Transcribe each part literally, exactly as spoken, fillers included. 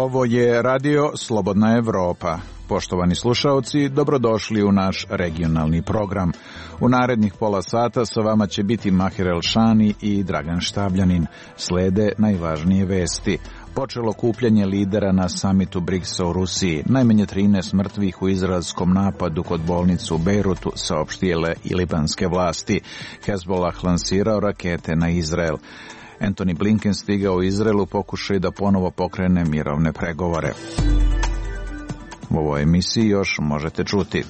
Ovo je radio Slobodna Evropa. Poštovani slušaoci, dobrodošli u naš regionalni program. U narednih pola sata sa vama će biti Mahir Elšani i Dragan Štabljanin. Slede najvažnije vesti. Počelo kupljanje lidera na samitu briksa u Rusiji. Najmanje trinaest mrtvih u izraelskom napadu kod bolnice u Bejrutu, saopštile i libanske vlasti. Hezbollah lansirao rakete na Izrael. Antony Blinken stigao u Izraelu pokušaj da ponovo pokrene mirovne pregovore. U ovoj emisiji još možete čuti.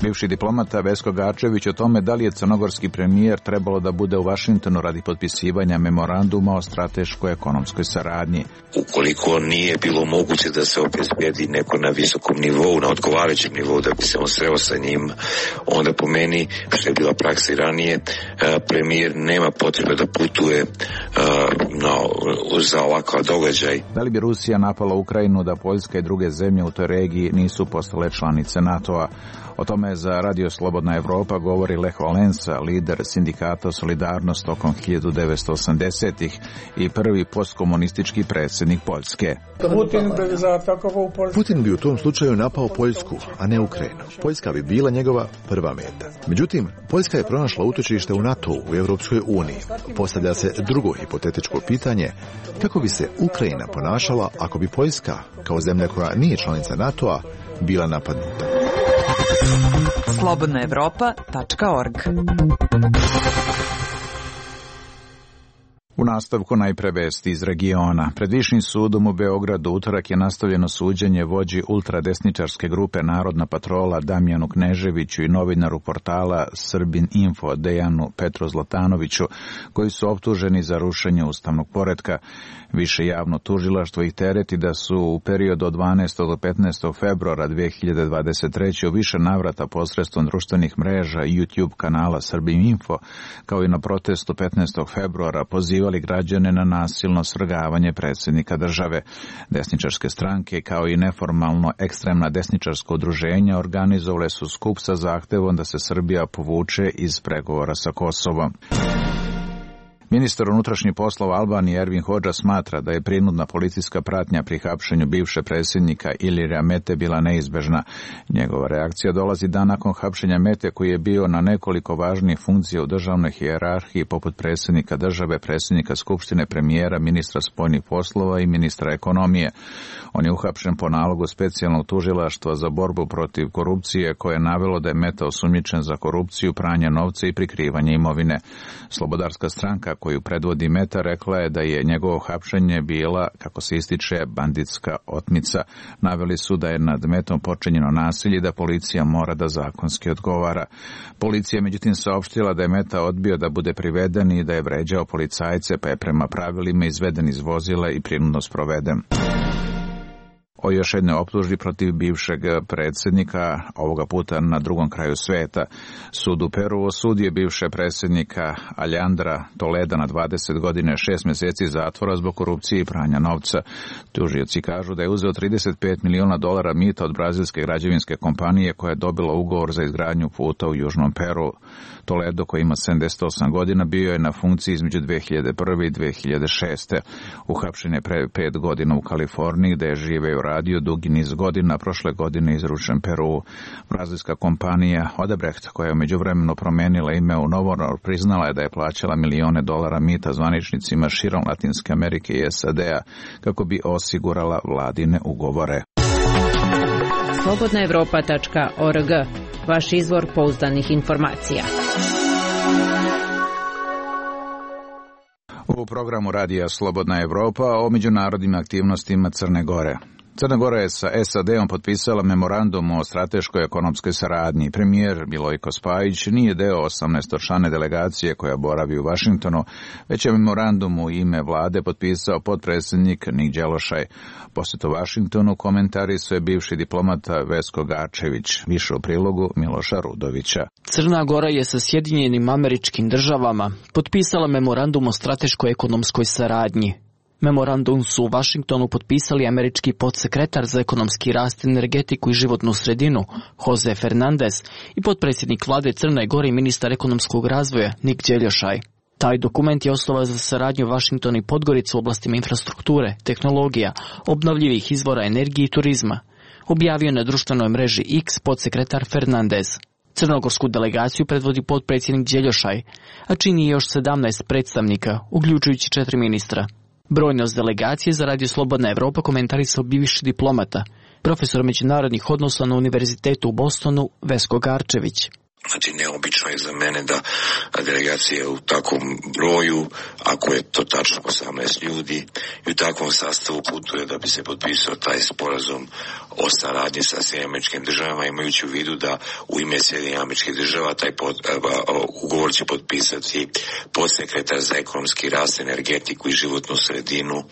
Bivši diplomata Vesko Gačević o tome da li je crnogorski premijer trebalo da bude u Vašingtonu radi potpisivanja memoranduma o strateškoj ekonomskoj saradnji. Ukoliko nije bilo moguće da se obezbedi neko na visokom nivou, na odgovarajućem nivou da bi se on sreo sa njim, onda po meni, što je bila praksa i ranije, premijer nema potrebe da putuje na, za ovakav događaj. Da li bi Rusija napala Ukrajinu da Poljska i druge zemlje u toj regiji nisu postale članice NATO-a? O tome za Radio Slobodna Evropa govori Lech Valensa, lider sindikata Solidarnost tokom hiljadu devetsto osamdesetih i prvi postkomunistički predsjednik Poljske. Putin bi u tom slučaju napao Poljsku, a ne Ukrajinu. Poljska bi bila njegova prva meta. Međutim, Poljska je pronašla utočište u NATO-u, u Europskoj uniji. Postavlja se drugo hipotetičko pitanje, kako bi se Ukrajina ponašala ako bi Poljska, kao zemlja koja nije članica NATO-a, bila napadnuta. slobodna evropa tačka org. U nastavku najpre vesti iz regiona. Pred Višim sudom u Beogradu utorak je nastavljeno suđenje vođi ultradesničarske grupe Narodna patrola Damjanu Kneževiću i novinaru portala Srbin Info Dejanu Petru Zlatanoviću, koji su optuženi za rušenje ustavnog poretka. Više javno tužilaštvo ih tereti da su u periodu od dvanaestog do petnaestog februara dve hiljade dvadeset treće u više navrata posredstvom društvenih mreža i YouTube kanala Srbin Info, kao i na protestu petnaestog februara pozivali građane na nasilno svrgavanje predsjednika države. Desničarske stranke, kao i neformalno ekstremna desničarska udruženja, organizovale su skup sa zahtevom da se Srbija povuče iz pregovora sa Kosovom. Ministar unutrašnjih poslova Albanije Ervin Hodža smatra da je prinudna policijska pratnja pri hapšenju bivše predsjednika Ilirija Mete bila neizbežna. Njegova reakcija dolazi dan nakon hapšenja Mete, koji je bio na nekoliko važnih funkcija u državnoj hijerarhiji poput predsjednika države, predsjednika skupštine, premijera, ministra spoljnih poslova i ministra ekonomije. On je uhapšen po nalogu specijalnog tužilaštva za borbu protiv korupcije, koje je navelo da je Meta osumnjičen za korupciju, pranje novca i prikrivanje imovine. Slobodarska stranka koju predvodi Meta rekla je da je njegovo hapšenje bila, kako se ističe, banditska otmica. Naveli su da je nad Metom počinjeno nasilje i da policija mora da zakonski odgovara. Policija međutim saopštila da je Meta odbio da bude priveden i da je vređao policajce, pa je prema pravilima izveden iz vozila i prinudno sproveden. O još jednoj optužbi protiv bivšeg predsjednika, ovoga puta na drugom kraju sveta. Sud u Peru osudio bivše predsjednika Aljandra Toleda na dvadeset godina šest mjeseci zatvora zbog korupcije i pranja novca. Tužioci kažu da je uzeo trideset pet miliona dolara mita od brazilske građevinske kompanije koja je dobila ugovor za izgradnju puta u južnom Peru. Toledo, koji ima sedamdeset osam godina, bio je na funkciji između dve hiljade prve i dve hiljade šeste. Uhapšen je pre pet godina u Kaliforniji, gde je živeo radio dugi niz godina, prošle godine izručen Peru. Brazilska kompanija Odebrecht, koja je međuvremeno promenila ime u Novonor, priznala je da je plaćala milione dolara mita zvaničnicima širom Latinske Amerike i S A D-a kako bi osigurala vladine ugovore. slobodna evropa tačka org, vaš izvor pouzdanih informacija. U programu radija Slobodna Evropa o međunarodnim aktivnostima Crne Gore. Crna Gora je sa S A D-om potpisala memorandum o strateškoj ekonomskoj saradnji. Premijer Milojko Spajić nije deo osamnaestočlane delegacije koja boravi u Vašingtonu, već je memorandum u ime vlade potpisao potpredsjednik Nik Đelošaj. Posjet u Vašingtonu komentarisao je bivši diplomata Vesko Gačević, više u prilogu Miloša Rudovića. Crna Gora je sa Sjedinjenim Američkim Državama potpisala memorandum o strateškoj ekonomskoj saradnji. Memorandum su u Vašingtonu potpisali američki podsekretar za ekonomski rast, energetiku i životnu sredinu Jose Fernandez i potpredsjednik vlade Crne Gore i ministar ekonomskog razvoja Nik Đeljošaj. Taj dokument je osnova za saradnju Vašingtona i Podgorica u oblastima infrastrukture, tehnologija, obnovljivih izvora energije i turizma, objavio na društvenoj mreži X podsekretar Fernandez. Crnogorsku delegaciju predvodi potpredsjednik Đeljošaj, a čini još sedamnaest predstavnika, uključujući četiri ministra. Brojnost delegacije za Radio Slobodna Evropa komentarisao bivši diplomata, profesor međunarodnih odnosa na Univerzitetu u Bostonu Vesko Garčević. Znači, neobično je za mene da delegacija u takvom broju, ako je to tačno osamnaest ljudi, i u takvom sastavu putuje da bi se potpisao taj sporazum o saradnji sa Sjedinjenim Američkim Državama, imajući u vidu da u ime Sjedinjenih Američkih Država taj pod, uh, ugovor će potpisati podsekretar za ekonomski rast, energetiku i životnu sredinu uh,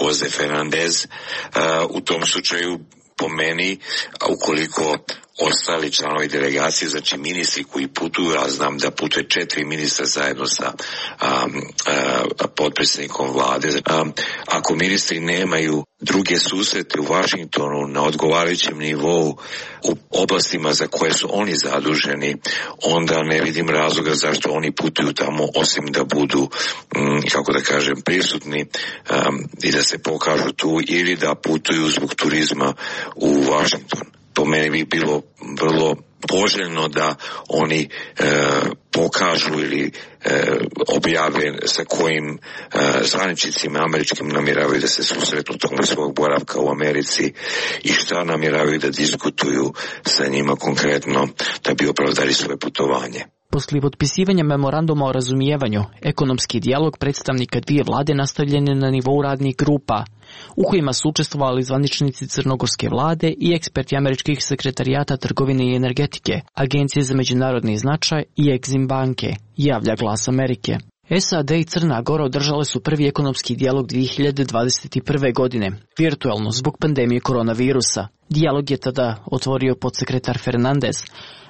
Jose Fernandez. Uh, u tom slučaju, po meni, a ukoliko ostali članovi delegacije, znači ministri koji putuju, a znam da putuje četiri ministra zajedno sa um, uh, potpredsjednikom vlade. Um, ako ministri nemaju druge susrete u Vašingtonu na odgovarajućem nivou u oblastima za koje su oni zaduženi, onda ne vidim razloga zašto oni putuju tamo, osim da budu, um, kako da kažem, prisutni um, i da se pokažu tu, ili da putuju zbog turizma u Vašington. Po meni bi bilo vrlo poželjno da oni e, pokažu ili e, objave sa kojim e, zvaničnicima američkim namjeravaju da se susretnu tokom svog boravka u Americi i šta namjeravaju da diskutuju sa njima konkretno da bi opravdali svoje putovanje. Poslije potpisivanja memoranduma o razumijevanju, ekonomski dijalog predstavnika dvije vlade nastavljen je na nivou radnih grupa, u kojima su učestvovali zvaničnici crnogorske vlade i eksperti američkih sekretarijata trgovine i energetike, Agencije za međunarodni značaj i Exim banke, javlja Glas Amerike. S A D i Crna Gora održale su prvi ekonomski dijalog dvije hiljade dvadeset prve. godine, virtualno zbog pandemije koronavirusa. Dijalog je tada otvorio podsekretar Fernandez,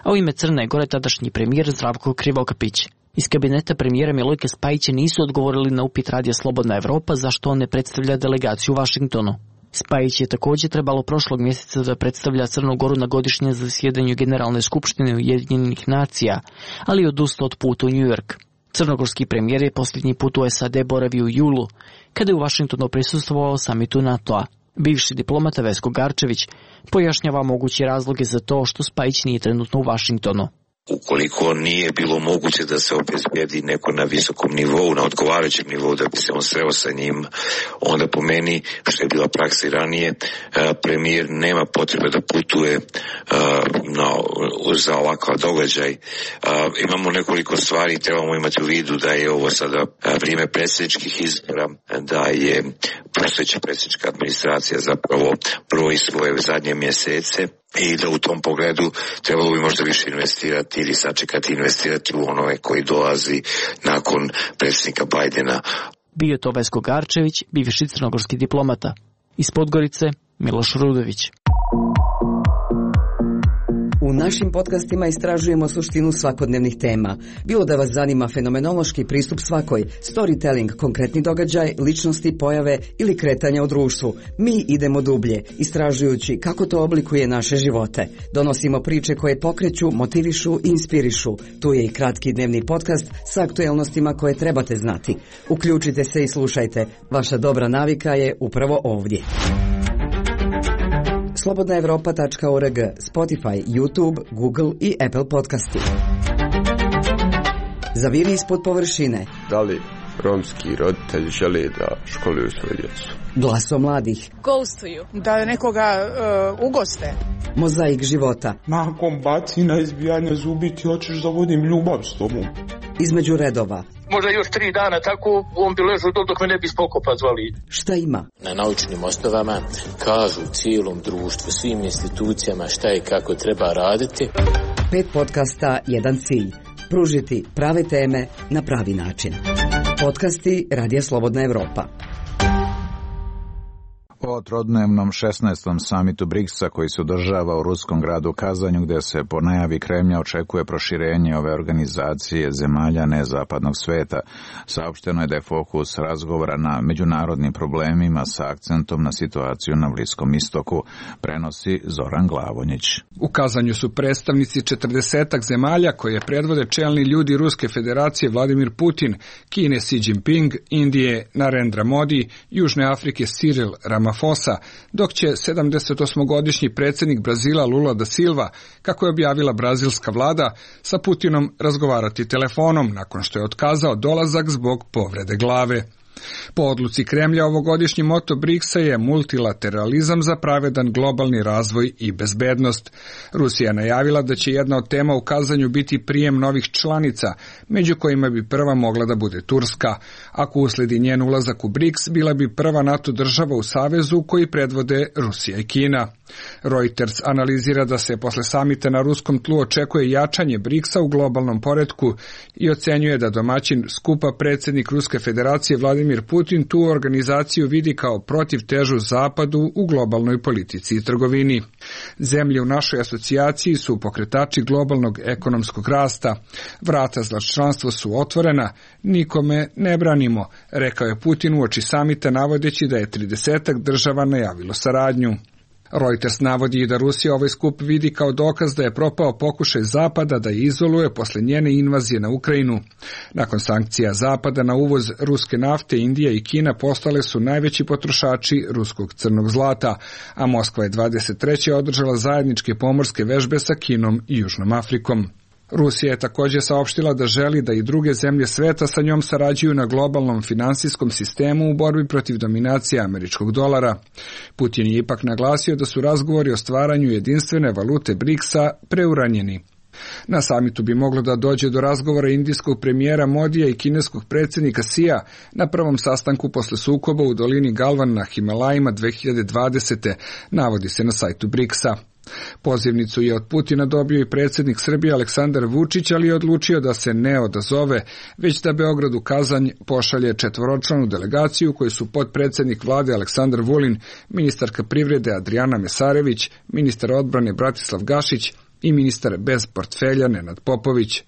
a u ime Crne Gore tadašnji premijer Zdravko Krivokapić. Iz kabineta premijera Milojka Spajića nisu odgovorili na upit Radija Slobodna Evropa zašto on ne predstavlja delegaciju u Vašingtonu. Spajić je također trebalo prošlog mjeseca da predstavlja Crnu Goru na godišnjem zasjedanju Generalne skupštine Ujedinjenih nacija, ali je odustao od puta u New York. Crnogorski premijer je posljednji put u S A D boravio u julu, kada je u Vašingtonu prisustvovao samitu NATO-a. Bivši diplomata Vesko Garčević pojašnjava moguće razloge za to što Spajić nije trenutno u Vašingtonu. Ukoliko nije bilo moguće da se obezbedi neko na visokom nivou, na odgovarajućem nivou, da bi se on sreo sa njim, onda po meni, što je bila praksa i ranije, premijer nema potrebe da putuje na, za ovakav događaj. Imamo nekoliko stvari, trebamo imati u vidu da je ovo sada vrijeme predsjedničkih izbora, da je postojeća predsjednička administracija zapravo broji svoje zadnje mjesece, i da u tom pogledu trebalo bi možda više investirati ili sačekati investirati u onove koji dolazi nakon predsjednika Bajdena. Bio to Vesko Garčević, bivši crnogorski diplomata. Iz Podgorice, Miloš Rudović. U našim podcastima istražujemo suštinu svakodnevnih tema. Bilo da vas zanima fenomenološki pristup svakoj, storytelling, konkretni događaj, ličnosti, pojave ili kretanja u društvu. Mi idemo dublje, istražujući kako to oblikuje naše živote. Donosimo priče koje pokreću, motivišu i inspirišu. Tu je i kratki dnevni podcast sa aktuelnostima koje trebate znati. Uključite se i slušajte. Vaša dobra navika je upravo ovdje. slobodna evropa tačka org, Spotify, YouTube, Google i Apple podcasti. Zaviri ispod površine. Da li romski roditelji žele da školuju svoje djecu? Glaso mladih. Ghostuju. Da nekoga uh, ugoste. Mozaik života. Nakon bacina, izbijanja zubi, ti hoćeš da vodim ljubav s tobom. Između redova. Možda još tri dana tako, on bi ležao dok me ne bi spokopa zvali. Šta ima? Na naučnim osnovama kažu cijelom društvu, svim institucijama šta i kako treba raditi. Pet podcasta, jedan cilj. Pružiti prave teme na pravi način. Podcasti Radija Slobodna Evropa. O trodnevnom šesnaestom samitu briksa koji se održava u ruskom gradu Kazanju, gdje se po najavi Kremlja očekuje proširenje ove organizacije zemalja nezapadnog sveta, saopšteno je da je fokus razgovora na međunarodnim problemima sa akcentom na situaciju na Bliskom istoku, prenosi Zoran Glavonjić. U Kazanju su predstavnici četrdesetak zemalja koje predvode čelni ljudi Ruske federacije Vladimir Putin, Kine Xi Jinping, Indije Narendra Modi, Južne Afrike Cyril Ramaphosa, dok će sedamdesetosmogodišnji predsjednik Brazila Lula da Silva, kako je objavila brazilska vlada, sa Putinom razgovarati telefonom nakon što je otkazao dolazak zbog povrede glave. Po odluci Kremlja ovogodišnji moto briksa je multilateralizam za pravedan globalni razvoj i bezbednost. Rusija je najavila da će jedna od tema u Kazanju biti prijem novih članica, među kojima bi prva mogla da bude Turska. Ako usledi njen ulazak u briks, bila bi prva NATO država u savezu koji predvode Rusija i Kina. Reuters analizira da se posle samita na ruskom tlu očekuje jačanje briksa u globalnom poretku i ocenjuje da domaćin skupa predsjednik Ruske federacije Vladimir Putin tu organizaciju vidi kao protivtežu Zapadu u globalnoj politici i trgovini. Zemlje u našoj asocijaciji su pokretači globalnog ekonomskog rasta. Vrata za članstvo su otvorena, nikome ne branimo, rekao je Putin uoči samita navodeći da je tridesetak država najavilo saradnju. Reuters navodi da Rusija ovaj skup vidi kao dokaz da je propao pokušaj Zapada da je izoluje posle njene invazije na Ukrajinu. Nakon sankcija Zapada na uvoz ruske nafte, Indija i Kina postale su najveći potrošači ruskog crnog zlata, a Moskva je dvadeset treće održala zajedničke pomorske vežbe sa Kinom i Južnom Afrikom. Rusija je također saopštila da želi da i druge zemlje sveta sa njom sarađuju na globalnom finansijskom sistemu u borbi protiv dominacije američkog dolara. Putin je ipak naglasio da su razgovori o stvaranju jedinstvene valute briksa preuranjeni. Na samitu bi moglo da dođe do razgovora indijskog premijera Modija i kineskog predsjednika Xija na prvom sastanku posle sukoba u dolini Galvan na Himalajima dve hiljade dvadesete, navodi se na sajtu briksa. Pozivnicu je od Putina dobio i predsjednik Srbije Aleksandar Vučić, ali je odlučio da se ne odazove, već da Beograd u Kazanj pošalje četvoročlanu delegaciju koju su potpredsjednik vlade Aleksandar Vulin, ministarka privrede Adrijana Mesarević, ministar odbrane Bratislav Gašić i ministar bez portfelja Nenad Popović.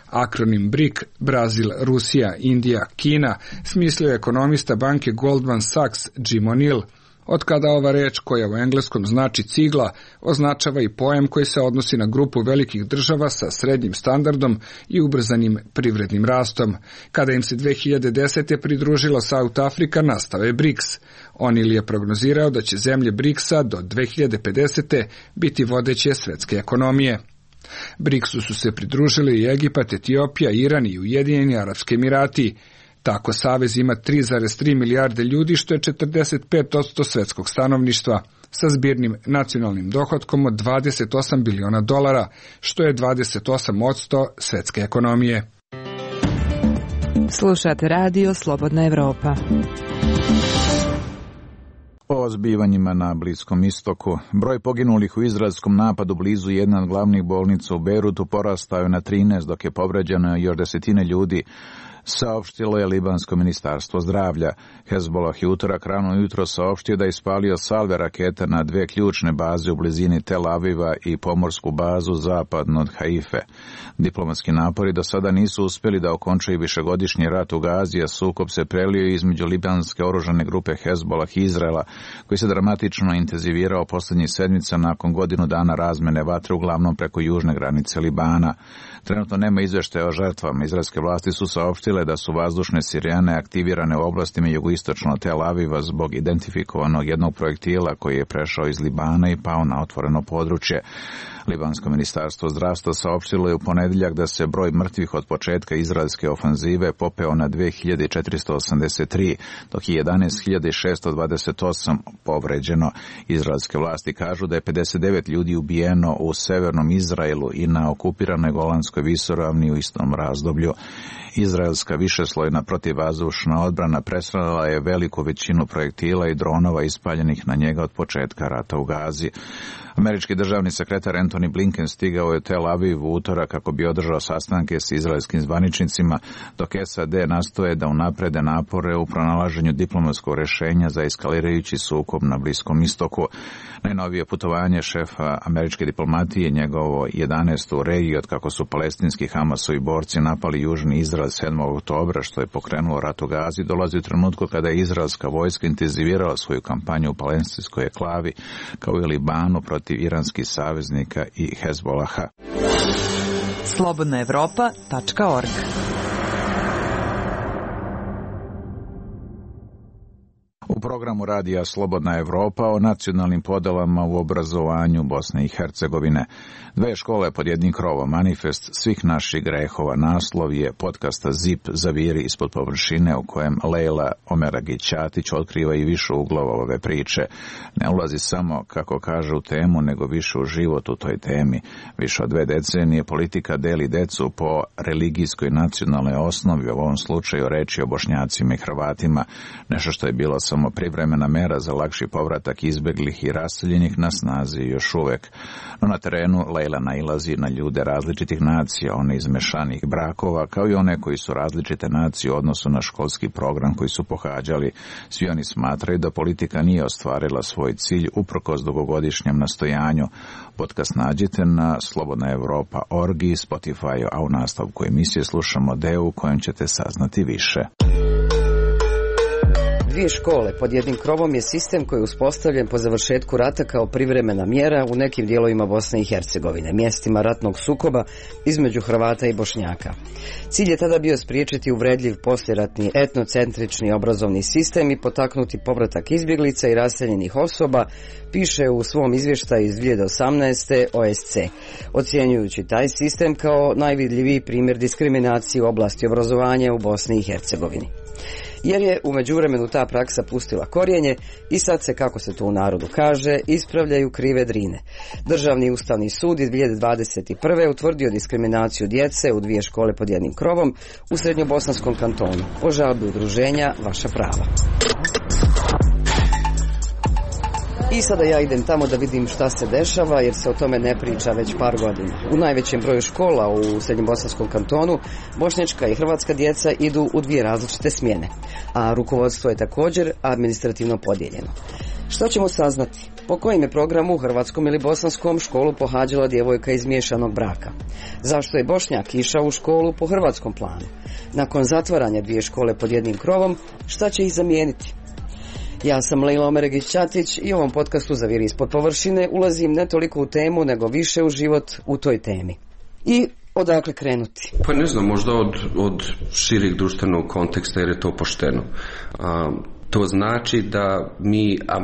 Akronim brik, Brazil, Rusija, Indija, Kina, smislio je ekonomista banke Goldman Sachs Jim O'Neill. Od kada ova reč, koja u engleskom znači cigla, označava i pojam koji se odnosi na grupu velikih država sa srednjim standardom i ubrzanim privrednim rastom. Kada im se dve hiljade desete pridružila South Afrika, nastao je briks. O'Neill je prognozirao da će zemlje briksa do dve hiljade pedesete biti vodeće svetske ekonomije. briksu su se pridružili i Egipat, Etiopija, Iran i Ujedinjeni Arapski Emirati. Tako savez ima tri zarez tri milijarde ljudi, što je četrdeset pet posto svetskog stanovništva, sa zbirnim nacionalnim dohotkom od dvadeset osam biliona dolara, što je dvadeset osam posto svetske ekonomije. Slušate radio Slobodna Evropa. O zbivanjima na Bliskom istoku. Broj poginulih u izraelskom napadu blizu jedne od glavnih bolnica u Bejrutu porastao je na trinaest, dok je povređeno još desetine ljudi, saopštilo je libansko ministarstvo zdravlja. Hezbollah je utorak rano jutro saopštio da je ispalio salve raketa na dve ključne baze u blizini Tel Aviva i pomorsku bazu zapadno od Haife. Diplomatski napori do sada nisu uspjeli da okončaju višegodišnji rat u Gazi, a sukob se prelio između libanske oružane grupe Hezbollah i Izraela, koji se dramatično intenzivirao posljednjih sedmica nakon godinu dana razmene vatre, uglavnom preko južne granice Libana. Trenutno nema izvještaja o žrtvama. Izraelske vlasti su saopštile da su vazdušne sirene aktivirane u oblastima jugoistočno Tel Aviva zbog identifikovanog jednog projektila koji je prešao iz Libana i pao na otvoreno područje. Libansko ministarstvo zdravstva saopštilo je u ponedjeljak da se broj mrtvih od početka izraelske ofanzive popeo na dve hiljade četiristo osamdeset tri, dok je jedanaest hiljada šesto dvadeset osam povređeno. Izraelske vlasti kažu da je pedeset devet ljudi ubijeno u severnom Izraelu i na okupiranoj Golanskoj visoravni u istom razdoblju. Izraelska višeslojna protivvazdušna odbrana presrela je veliku većinu projektila i dronova ispaljenih na njega od početka rata u Gazi. Američki državni sekretar Antony Blinken stigao je u Tel Aviv u utorak kako bi održao sastanke s izraelskim zvaničnicima, dok S A D nastoje da unaprede napore u pronalaženju diplomatskog rješenja za eskalirajući sukob na Bliskom istoku. Najnovije putovanje šefa američke diplomatije, njegovo jedanaesto u regiji od kako su palestinski Hamasovi borci napali južni Izrael sedmog oktobra, što je pokrenulo rat u Gazi, dolazi u trenutku kada je izraelska vojska intenzivirala svoju kampanju u palestinskoj enklavi, kao i Libanu protiv iranskih saveznika i Hezbolaha. slobodna evropa tačka org. U programu radija Slobodna Evropa o nacionalnim podelama u obrazovanju Bosne i Hercegovine. Dve škole pod jednim krovom, manifest svih naših grehova, naslov je podcasta Zip zaviri ispod površine, u kojem Lejla Omeragić-Ćatić otkriva i više uglova ove priče. Ne ulazi samo, kako kaže, u temu, nego više u život u toj temi. Više od dve decenije politika deli decu po religijskoj nacionalnoj osnovi, u ovom slučaju reči o Bošnjacima i Hrvatima, nešto što je bilo samo privremena mera za lakši povratak izbeglih i raseljenih na snazi još uvek. No na terenu Lejla nailazi na ljude različitih nacija, one iz mešanih brakova, kao i one koji su različite nacije u odnosu na školski program koji su pohađali. Svi oni smatraju da politika nije ostvarila svoj cilj uprkos dugogodišnjem nastojanju. Podcast nađete na slobodna evropa tačka org i Spotify, a u nastavku emisije slušamo deo u kojem ćete saznati više. Dvije škole pod jednim krovom je sistem koji je uspostavljen po završetku rata kao privremena mjera u nekim dijelovima Bosne i Hercegovine, mjestima ratnog sukoba između Hrvata i Bošnjaka. Cilj je tada bio spriječiti uvredljiv poslijeratni etnocentrični obrazovni sistem i potaknuti povratak izbjeglica i raseljenih osoba, piše u svom izvještaju iz dvije hiljade osamnaeste. O S C, ocjenjujući taj sistem kao najvidljiviji primjer diskriminacije u oblasti obrazovanja u Bosni i Hercegovini. Jer je u međuvremenu ta praksa pustila korijenje i sad se, kako se to u narodu kaže, ispravljaju krive drine. Državni ustavni sud iz dvije hiljade dvadeset prve. utvrdio diskriminaciju djece u dvije škole pod jednim krovom u Srednjobosanskom kantonu po žalbi udruženja Vaša prava. I sada ja idem tamo da vidim šta se dešava, jer se o tome ne priča već par godina. U najvećem broju škola u Srednjobosanskom kantonu bošnjačka i hrvatska djeca idu u dvije različite smjene, a rukovodstvo je također administrativno podijeljeno. Što ćemo saznati? Po kojem je programu u hrvatskom ili bosanskom školu pohađala djevojka iz miješanog braka? Zašto je Bošnjak išao u školu po hrvatskom planu? Nakon zatvaranja dvije škole pod jednim krovom, šta će ih zamijeniti? Ja sam Lejla Omeragić-Ćatić i u ovom podcastu Zaviri ispod površine ulazim ne toliko u temu, nego više u život u toj temi. I odakle krenuti? Pa ne znam, možda od, od širih društvenog konteksta, jer je to pošteno. A, to znači da mi a,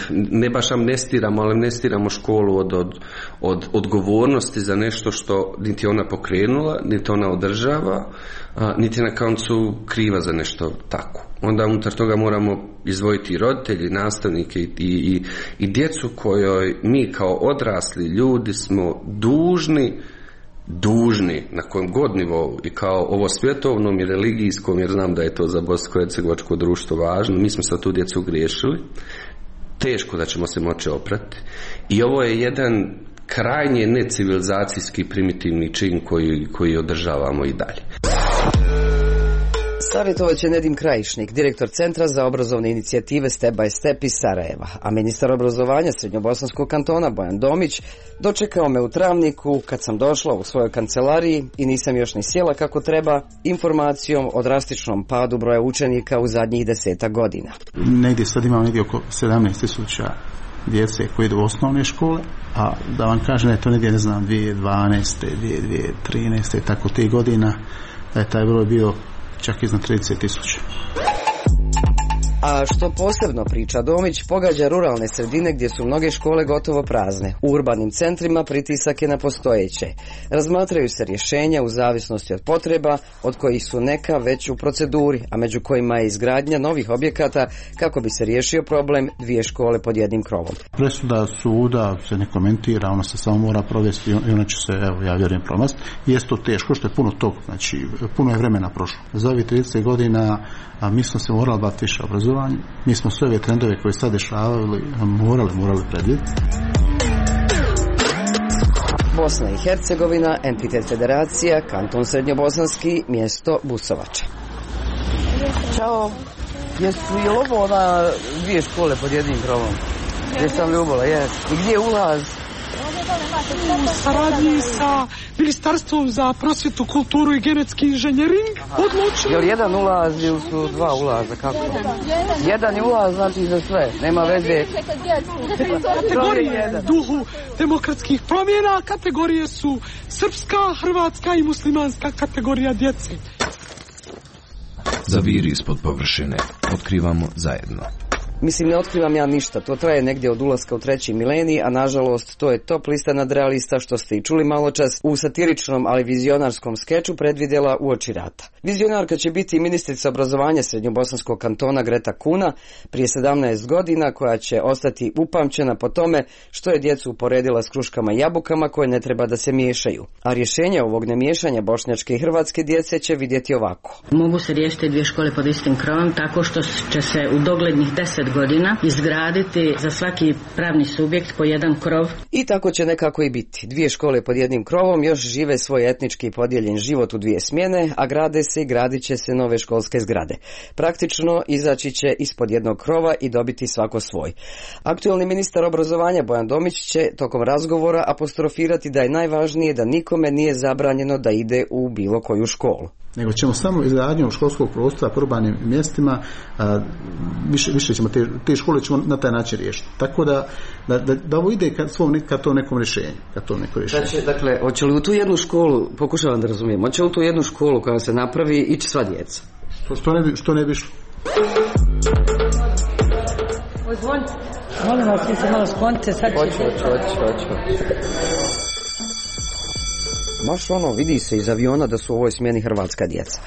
ne baš amnestiramo, ali amnestiramo školu od, od, od odgovornosti za nešto što niti ona pokrenula, niti ona održava, a, niti na koncu kriva za nešto tako. Onda unutar toga moramo izdvojiti roditelji, nastavnike i, i, i djecu kojoj mi kao odrasli ljudi smo dužni, dužni na kojem god nivou i kao ovo svjetovnom i religijskom, jer znam da je to za bosansko-hercegovačko društvo važno, mi smo sa tu djecu griješili, teško da ćemo se moći oprati i ovo je jedan krajnje necivilizacijski primitivni čin koji, koji održavamo i dalje. Savjetovat će Nedim Krajišnik, direktor Centra za obrazovne inicijative Step by Step iz Sarajeva, a ministar obrazovanja Srednjobosanskog kantona Bojan Domić dočekao me u Travniku kad sam došla u svojoj kancelariji i nisam još ni sjela kako treba, informacijom o drastičnom padu broja učenika u zadnjih desetak godina. Negdje sad imamo negdje oko sedamnaest tisuća djece koji idu u osnovne škole, a da vam kažem da je to negdje, ne znam, dvije tisuće dvanaeste, dvije tisuće trinaeste, tako tih godina, da je taj broj bio čak iznad trideset tisuća. A što posebno priča Domić, pogađa ruralne sredine gdje su mnoge škole gotovo prazne. U urbanim centrima pritisak je na postojeće. Razmatraju se rješenja u zavisnosti od potreba, od kojih su neka već u proceduri, a među kojima je izgradnja novih objekata kako bi se riješio problem dvije škole pod jednim krovom. Presuda suda se ne komentira, ona se samo mora provesti i ona će se, evo, ja vjerujem, provesti. Jeste to teško, što je puno tog, znači puno je vremena prošlo. Za ovih trideset godina a mi smo se morali baviti više obrazovanje. Mi smo sve ove trendove koje sad dešavali morali, morali predvidjeti. Bosna i Hercegovina, entitet federacija, kanton Srednjobosanski, mjesto Busovača. Ćao. Jesu je ovo ona dvije škole pod jednim krovom? Gdje sam Ljubola, jes. I gdje je ulaz? U saradnji sa Ministarstvom za prosvjetu, kulturu i genetski inženjering odlučili... Je li jedan ulaz ili su dva ulaza? Kako? Jedan je ulaz, znači za sve. Nema veze. Kategorije duhu demokratskih promjena, kategorije su srpska, hrvatska i muslimanska kategorija djece. Zaviri ispod površine. Otkrivamo zajedno. Mislim, ne otkrivam ja ništa, to traje negdje od ulaska u treći milenij, a nažalost to je top lista nadrealista što ste i čuli malo čas u satiričnom, ali vizionarskom skeču predvidjela uoči rata. Vizionarka će biti ministrica obrazovanja Srednjobosanskog kantona Greta Kuna prije sedamnaest godina, koja će ostati upamćena po tome što je djecu uporedila s kruškama i jabukama koje ne treba da se miješaju. A rješenje ovog nemiješanja bošnjačke i hrvatske djece će vidjeti ovako. Mogu se riješiti dvije škole pod istim krovom tako što će se u doglednih deset godina izgraditi za svaki pravni subjekt po jedan krov. I tako će nekako i biti. Dvije škole pod jednim krovom još žive svoj etnički podijeljen život u dvije smjene, a grade se i gradit će se nove školske zgrade. Praktično izaći će ispod jednog krova i dobiti svako svoj. Aktualni ministar obrazovanja Bojan Domić će tokom razgovora apostrofirati da je najvažnije da nikome nije zabranjeno da ide u bilo koju školu. Nego ćemo samo izgradnjom školskog prostora po urbanim mjestima, a, više, više ćemo te, te škole ćemo na taj način riješiti. Tako da, da, da, da ovo ide ka, svom, ka to nekom rješenju. Ka to neko rješenje. Znači, dakle, hoće li u tu jednu školu, pokušavam da razumijem, hoće li u tu jednu školu koja se napravi ići sva djeca? Što, što, ne bi, što ne bi išlo? Ozvonj, molim vas, ti se malo sklonite, sad će... Hoću, hoću, hoću, hoću. Baš ono, vidi se iz aviona da su u ovoj smjeni hrvatska djeca.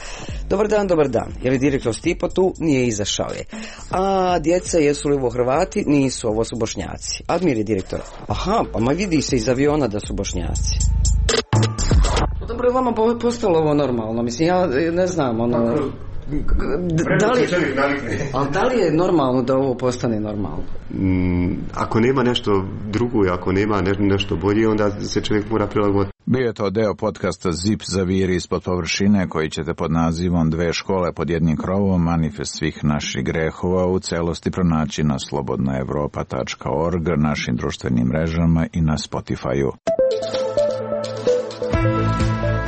Dobar dan, dobar dan. Je li direktor Stipo tu? Nije, izašao je. A djeca, jesu li ovo Hrvati? Nisu, ovo su Bošnjaci. Admir je direktor. Aha, pa ma vidi se iz aviona da su Bošnjaci. Dobro, je vama postalo ovo normalno? Mislim, ja ne znam, ono... Da li, ali da li je normalno da ovo postane normalno? Mm, ako nema nešto drugo i ako nema ne, nešto bolje, onda se čovjek mora prilagoditi. Bio je to deo podcasta Zip zaviri ispod površine, koji ćete pod nazivom Dve škole pod jednim krovom, manifest svih naših grehova, u celosti pronaći na slobodna evropa tačka org, našim društvenim mrežama i na Spotify-u.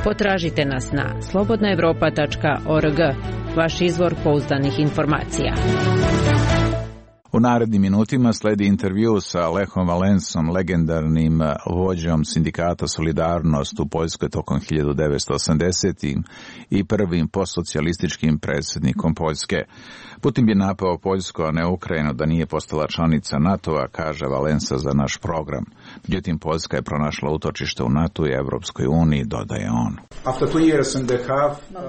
Potražite nas na slobodna evropa tačka org, vaš izvor pouzdanih informacija. U narednim minutima sledi intervju sa Lechom Valensom, legendarnim vođom sindikata Solidarnost u Poljskoj tokom hiljadu devetsto osamdesetih i prvim postsocijalističkim predsjednikom Poljske. Putin bi napao Poljsku, a ne Ukrajinu, da nije postala članica NATO-a, kaže Valensa za naš program. Međutim, Poljska je pronašla utočište u NATO i Evropskoj uniji, dodaje on.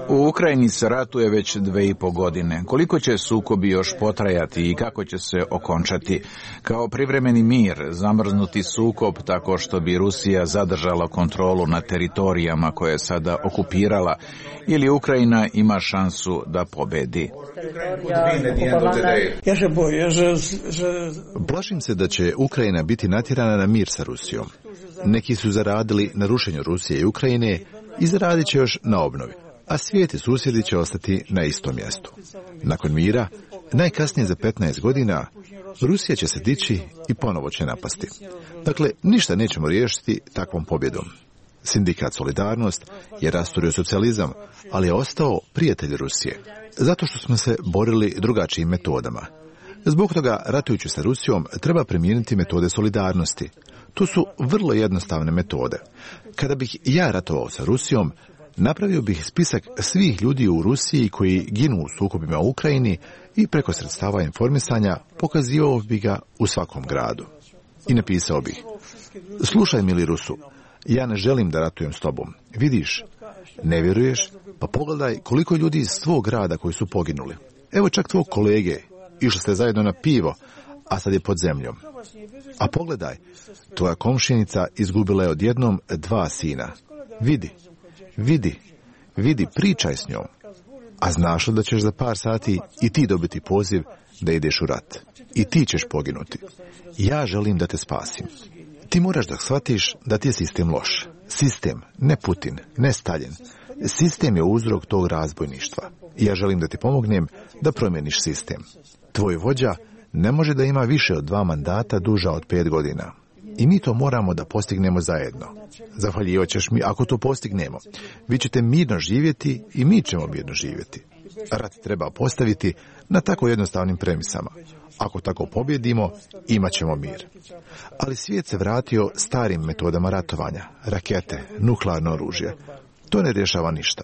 U Ukrajini se ratuje već dve i po godine. Koliko će sukobi još potrajati i kako će se okončati? Kao privremeni mir, zamrznuti sukob tako što bi Rusija zadržala kontrolu nad teritorijama koje je sada okupirala, ili Ukrajina ima šansu da pobedi? Plašim se da će Ukrajina biti natjerana na mir sa Rusijom. Neki su zaradili na rušenju Rusije i Ukrajine i zaradit će još na obnovi, a svijet i susjedi će ostati na istom mjestu. Nakon mira, najkasnije za petnaest godina, Rusija će se dići i ponovo će napasti. Dakle, ništa nećemo riješiti takvom pobjedom. Sindikat Solidarnost je rasturio socijalizam, ali je ostao prijatelj Rusije, zato što smo se borili drugačijim metodama. Zbog toga, ratujući sa Rusijom, treba primijeniti metode solidarnosti. To su vrlo jednostavne metode. Kada bih ja ratovao sa Rusijom, napravio bih spisak svih ljudi u Rusiji koji ginu u sukobima u Ukrajini i preko sredstava informisanja pokazivao bih ga u svakom gradu. I napisao bih: slušaj, mili Rusu, ja ne želim da ratujem s tobom. Vidiš, ne vjeruješ? Pa pogledaj koliko ljudi iz svog grada koji su poginuli. Evo čak tvog kolege, išli ste zajedno na pivo, a sad je pod zemljom. A pogledaj, tvoja komšinica izgubila je odjednom dva sina. Vidi, vidi, vidi, pričaj s njom. A znaš li da ćeš za par sati i ti dobiti poziv da ideš u rat? I ti ćeš poginuti. Ja želim da te spasim. Ti moraš da shvatiš da ti je sistem loš. Sistem, ne Putin, ne Stalin. Sistem je uzrok tog razbojništva. I ja želim da ti pomognem da promijeniš sistem. Tvoj vođa ne može da ima više od dva mandata duža od pet godina. I mi to moramo da postignemo zajedno. Zahvaljivat ćeš mi ako to postignemo. Vi ćete mirno živjeti i mi ćemo mirno živjeti. Rat treba postaviti na tako jednostavnim premisama. Ako tako pobjedimo, imat ćemo mir. Ali svijet se vratio starim metodama ratovanja, rakete, nuklearno oružje. To ne rješava ništa.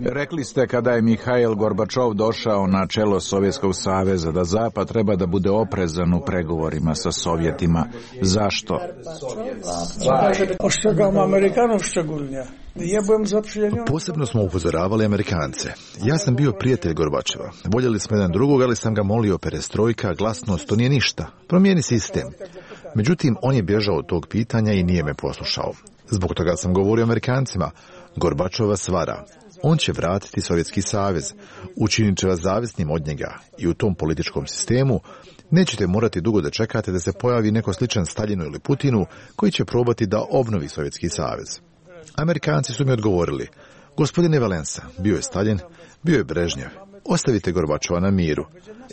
Rekli ste kada je Mihail Gorbačov došao na čelo Sovjetskog saveza da Zapad treba da bude oprezan u pregovorima sa Sovjetima. Zašto? Posebno smo upozoravali Amerikance. Ja sam bio prijatelj Gorbačeva. Voljeli smo jedan drugog, ali sam ga molio perestrojka, glasnost, to nije ništa. Promijeni sistem. Međutim, on je bježao od tog pitanja i nije me poslušao. Zbog toga sam govorio Amerikancima. Gorbačov vas vara. On će vratiti Sovjetski savez. Učinit će vas zavisnim od njega. I u tom političkom sistemu nećete morati dugo da čekate da se pojavi neko sličan Staljinu ili Putinu koji će probati da obnovi Sovjetski savez. Amerikanci su mi odgovorili: gospodine Valensa, bio je Stalin, bio je Brežnjev. Ostavite Gorbačova na miru.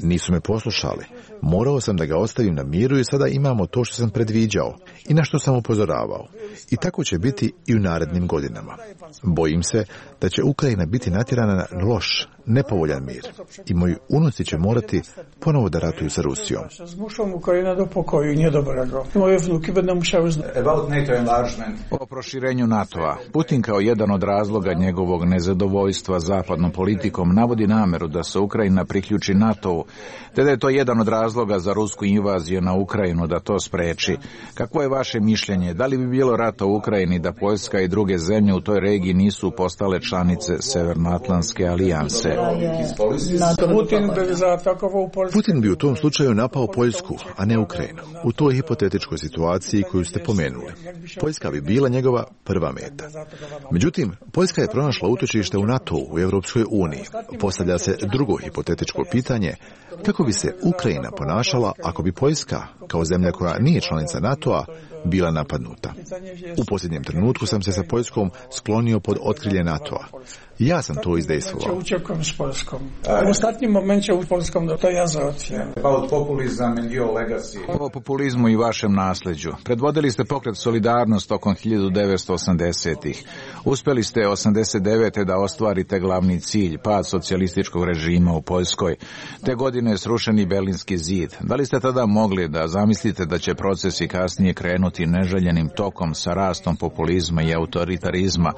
Nisu me poslušali. Morao sam da ga ostavim na miru i sada imamo to što sam predviđao i na što sam upozoravao. I tako će biti i u narednim godinama. Bojim se da će Ukrajina biti natjerana na loš, nepovoljan mir. I moji unuci će morati ponovo da ratuju sa Rusijom. O proširenju NATO-a. Putin kao jedan od razloga njegovog nezadovoljstva zapadnom politikom navodi nameru da se Ukrajina priključi NATO-u, te da je to jedan od razloga za rusku invaziju na Ukrajinu da to spreči. Kakvo je vaše mišljenje? Da li bi bilo rata u Ukrajini da Poljska i druge zemlje u toj regiji nisu postale članice Severnoatlantske alijanse? Putin bi u tom slučaju napao Poljsku, a ne Ukrajinu. U toj hipotetičkoj situaciji koju ste pomenuli. Poljska bi bila njegova prva meta. Međutim, Poljska je pronašla utočište u NATO-u, u Europskoj uniji. Postavlja se drugo hipotetičko pitanje: kako bi se Ukrajina ponašala ako bi Poljska, kao zemlja koja nije članica NATO-a, bila napadnuta? U posljednjem trenutku sam se sa Poljskom sklonio pod otkrilje NATO-a. Ja sam to izdejstvovao. U ostatnim momentu u Poljskom to ja zaocijam. O populizmu i vašem nasljeđu. Predvodili ste pokret Solidarnost tokom hiljadu devetsto osamdesetih. Uspjeli ste osamdeset devete da ostvarite glavni cilj, pad socijalističkog režima u Poljskoj. Te godine je srušeni Berlinski zid. Da li ste tada mogli da zamislite da će procesi kasnije krenuti neželjenim tokom sa rastom populizma i autoritarizma,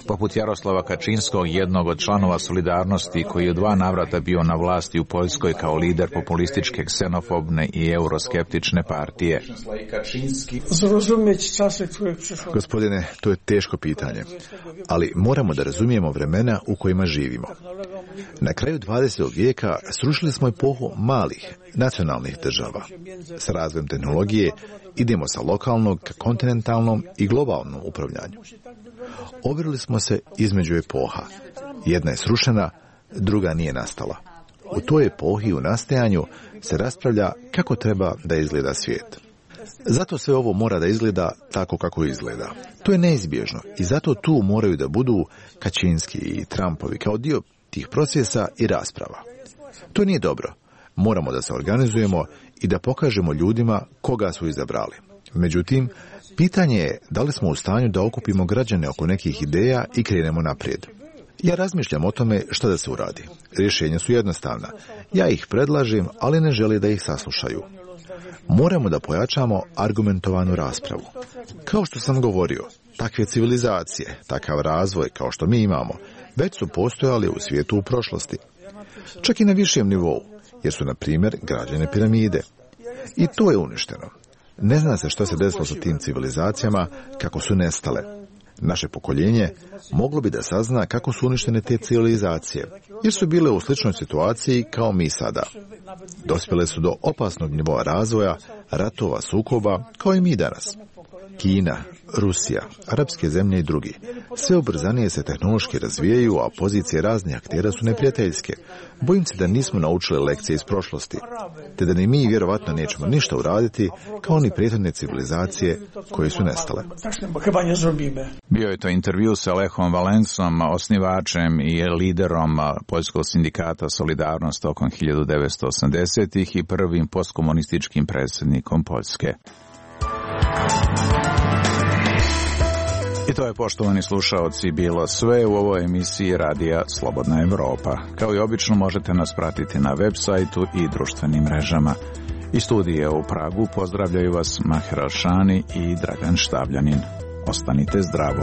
poput Jaroslava Kačinskog, jednog od članova Solidarnosti, koji je u dva navrata bio na vlasti u Poljskoj kao lider populističke, ksenofobne i euroskeptične partije? Gospodine, to je teško pitanje, ali moramo da razumijemo vremena u kojima živimo. Na kraju dvadesetog vijeka srušili smo epohu malih, nacionalnih država. Sa razvojem tehnologije idemo sa lokalnog ka kontinentalnom i globalnom upravljanju. Overili smo se između epoha. Jedna je srušena, druga nije nastala. U toj epohi u nastajanju se raspravlja kako treba da izgleda svijet. Zato sve ovo mora da izgleda tako kako izgleda. To je neizbježno i zato tu moraju da budu Kačinski i Trumpovi kao dio tih procesa i rasprava. To nije dobro. Moramo da se organizujemo i da pokažemo ljudima koga su izabrali. Međutim, pitanje je da li smo u stanju da okupimo građane oko nekih ideja i krenemo naprijed. Ja razmišljam o tome što da se uradi. Rješenja su jednostavna. Ja ih predlažem, ali ne žele da ih saslušaju. Moramo da pojačamo argumentovanu raspravu. Kao što sam govorio, takve civilizacije, takav razvoj kao što mi imamo, već su postojali u svijetu u prošlosti. Čak i na višem nivou, jer su, na primjer, građene piramide. I to je uništeno. Ne zna se što se desilo sa tim civilizacijama, kako su nestale. Naše pokoljenje moglo bi da sazna kako su uništene te civilizacije, jer su bile u sličnoj situaciji kao mi sada. Dospjele su do opasnog nivoa razvoja, ratova, sukoba, kao i mi danas. Kina, Rusija, arapske zemlje i drugi. Sve ubrzanije se tehnološki razvijaju, a pozicije raznih aktera su neprijateljske. Bojim se da nismo naučili lekcije iz prošlosti, te da ni mi vjerovatno nećemo ništa uraditi kao ni prethodne civilizacije koje su nestale. Bio je to intervju sa Lechom Valensom, osnivačem i liderom Poljskog sindikata Solidarnost tokom hiljadu devetsto osamdesetih i prvim postkomunističkim predsjednikom Poljske. I to je, poštovani slušaoci, bilo sve u ovoj emisiji Radija Slobodna Evropa. Kao i obično možete nas pratiti na web sajtu i društvenim mrežama. Iz studija u Pragu pozdravljaju vas Maher Alšani i Dragan Štavljanin. Ostanite zdravo.